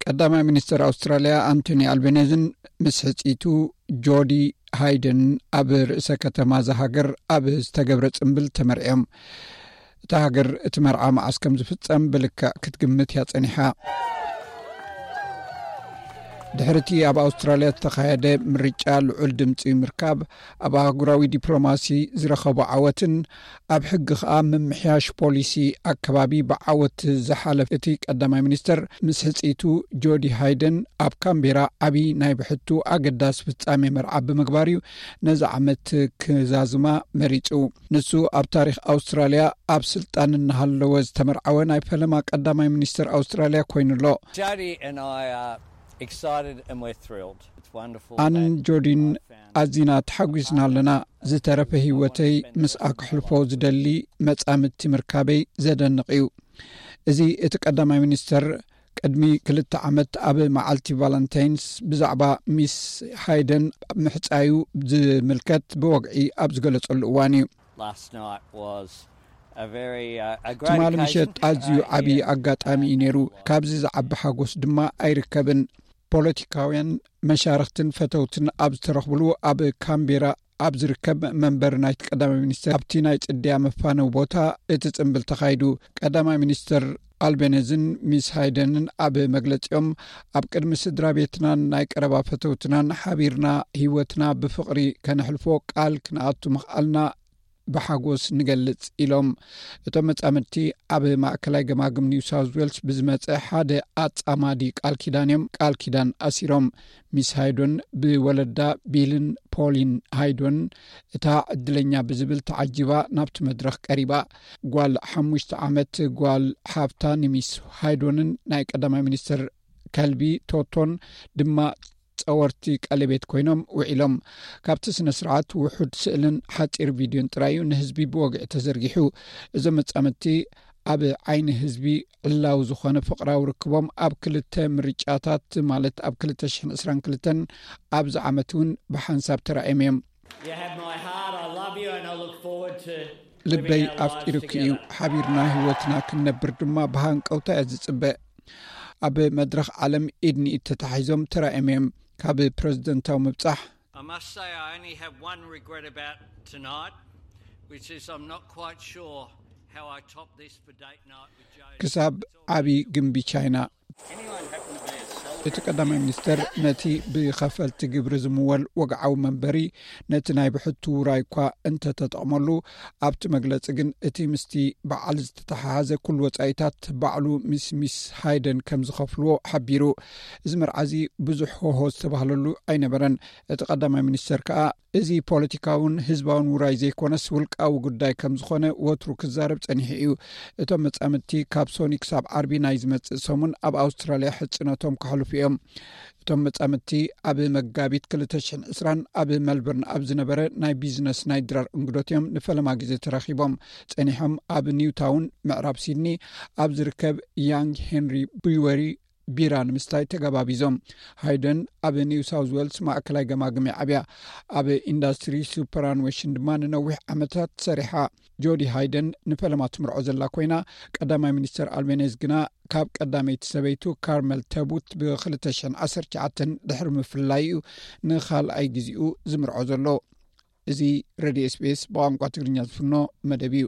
ቀዳማይ ሚኒስትር ኣውስትራልያ ኣንቶኒ ኣልቤኔዝን ምስ ሕጽይቱ ጆዲ ሃይደን ኣብ ርእሰ ከተማ እዛ ሃገር ኣብ ዝተገብረ ጽምብል ተመርዕዮም። እታ ሃገር እቲ መርዓ መዓስ ከም ዝፍጸም ብልክዕ ክትግምት እያ ጸኒሓ። ድሕርቲ ኣብ ኣውስትራልያ ዝተኻየደ ምርጫ ልዑል ድምፂ ምርካብ፣ ኣብ ኣህጉራዊ ዲፕሎማሲ ዝረኸቦ ዓወትን ኣብ ሕጊ ከኣ ምምሕያሽ ፖሊሲ ኣከባቢ ብዓወት ዝሓለፈ እቲ ቀዳማይ ሚኒስተር፣ ምስ ሕጽይቱ ጆዲ ሃይደን ኣብ ካምቤራ ዓቢ ናይ ብሕቱ ኣገዳሲ ፍጻሜ መርዓ ብምግባር እዩ ነዚ ዓመት ክዛዝማ መሪጹ። ንሱ ኣብ ታሪኽ ኣውስትራልያ ኣብ ስልጣን እናሃለወ ዝተመርዓወ ናይ ፈለማ ቀዳማይ ሚኒስተር ኣውስትራልያ ኮይኑ ኣሎ። Jody and I are excited and we're thrilled. It's wonderful. ኣንን that ጆዲን I found ኣዚና ተሓጒስና ኣለና። ዝተረፈ ህይወተይ ምስኣ ክሕልፎ ዝደሊ መጻምድቲ ምርካበይ ዘደንቕ እዩ። እዚ እቲ ቀዳማይ ሚኒስተር ቅድሚ ክልተ ዓመት ኣብ መዓልቲ ቫለንታይንስ ብዛዕባ ሚስ ሃይደን ምሕጻዩ ዝምልከት ብወግዒ ኣብ ዝገለጸሉ እዋን እዩ። Last night was a very uh, a great ትማሊ occasion. ምሸት ኣዝዩ Uh, ዓቢ here ኣጋጣሚ እዩ ነይሩ። ካብዚ ዝዓቢ ሓጎስ ድማ ኣይርከብን። ፖለቲካውያን መሻርኽትን ፈተውትን ኣብ ዝተረኽብሉ ኣብ ካምቤራ ኣብ ዝርከብ መንበር ናይቲ ቀዳማይ ሚኒስተር ኣብቲ ናይ ጽድያ መፋነው ቦታ እቲ ጽምብል ተኻይዱ። ቀዳማይ ሚኒስተር ኣልቤነዝን ሚስ ሃይደንን ኣብ መግለጺኦም፣ ኣብ ቅድሚ ስድራ ቤትናን ናይ ቀረባ ፈተውትናን ሓቢርና ህይወትና ብፍቕሪ ከነሕልፎ ቃል ክንኣቱ ምኽኣልና ብሓጎስ ንገልጽ ኢሎም። እቶም መጻምድቲ ኣብ ማእከላይ ገማግም ኒው ሳውዝ ዌልስ ብዝመጸ ሓደ ኣጻማዲ ቃል ኪዳን እዮም ቃል ኪዳን ኣሲሮም። ሚስ ሃይዶን ብወለዳ ቢልን ፖሊን ሃይዶን እታ ዕድለኛ ብዝብል ተዓጂባ ናብቲ መድረኽ ቀሪባ። ጓል ሓሙሽተ ዓመት ጓል ሓፍታ ንሚስ ሃይዶንን ናይ ቀዳማይ ሚኒስትር ከልቢ ቶቶን ድማ ጸወርቲ ቀለቤት ኮይኖም ውዒሎም። ካብቲ ስነ ስርዓት ውሑድ ስእልን ሓጺር ቪድዮን ጥራይ እዩ ንህዝቢ ብወግዒ ተዘርጊሑ። እዞም መጻምድቲ ኣብ ዓይኒ ህዝቢ ዕላዊ ዝኾነ ፍቕራዊ ርክቦም ኣብ ክልተ ምርጫታት፣ ማለት ኣብ ክልተ ሽሕን ዕስራን ክልተን ኣብዚ ዓመት እውን ብሓንሳብ ተራእዮም እዮም። You have my heart. I love you, and I look forward to ልበይ ኣፍቂሩኪ እዩ። ሓቢርና ህይወትና ክንነብር ድማ ብሃንቀውታ እየ ዝጽበ። ኣብ መድረኽ ዓለም ኢድ ንኢድ ተታሒዞም ተራእዮም እዮም። ካብ ፕረዚደንታዊ ምብጻሕ I must say, I only have one regret about tonight, which is I'm not quite sure how I top this for date night with Joe. ክሳብ ዓቢ ግምቢ ቻይና። Anyone happen to be a seller? እቲ ቀዳማይ ሚኒስተር ነቲ ብኸፈልቲ ግብሪ ዝምወል ወግዓዊ መንበሪ ነቲ ናይ ብሕቱ ውራይ እኳ እንተተጠቕመሉ፣ ኣብቲ መግለጺ ግን እቲ ምስቲ በዓል ዝተተሓሓዘ ኩሉ ወጻኢታት ባዕሉ ምስ ሚስ ሃይደን ከም ዝኸፍልዎ ሓቢሩ። እዚ መርዓ እዚ ብዙሕ ሆሆ ዝተባህለሉ ኣይነበረን። እቲ ቀዳማይ ሚኒስተር ከኣ እዚ ፖለቲካውን ህዝባውን ውራይ ዘይኮነስ ውልቃዊ ጉዳይ ከም ዝኾነ ወትሩ ክዛረብ ጸኒሑ እዩ። እቶም መጻምድቲ ካብ ሶኒ ክሳብ ዓርቢ ናይ ዝመጽእ ሰሙን ኣብ ኣውስትራልያ ሕጽነቶም ከሕልፉ እዮም። እቶም መጻምድቲ ኣብ መጋቢት ክልተ ሽሕን ዕስራን ኣብ መልበርን ኣብ ዝነበረ ናይ ቢዝነስ ናይ ድራር እንግዶት እዮም ንፈለማ ግዜ ተራኺቦም። ጸኒሖም ኣብ ኒውታውን ምዕራብ ሲድኒ ኣብ ዝርከብ ያንግ ሄንሪ ብሪወሪ ቢራ ንምስታይ ተገባቢዞም። ሃይደን ኣብ ኒው ሳውዝ ዌልስ ማእከላይ ገማግም ዓብያ፣ ኣብ ኢንዳስትሪ ሱፐራንዌሽን ድማ ንነዊሕ ዓመታት ሰሪሓ። ጆዲ ሃይደን ንፈለማ ትምርዖ ዘላ ኮይና፣ ቀዳማይ ሚኒስተር ኣልቤኔዝ ግና ካብ ቀዳመይቲ ሰበይቱ ካርመል ተቡት ብ ክልተ ሽሕን ዓሰርተ ትሽዓተን ድሕሪ ምፍልላይ እዩ ንኻልኣይ ግዜኡ ዝምርዖ ዘሎ። እዚ ሬድዮ ኤስቢኤስ ብቋንቋ ትግርኛ ዝፍኖ መደብ እዩ።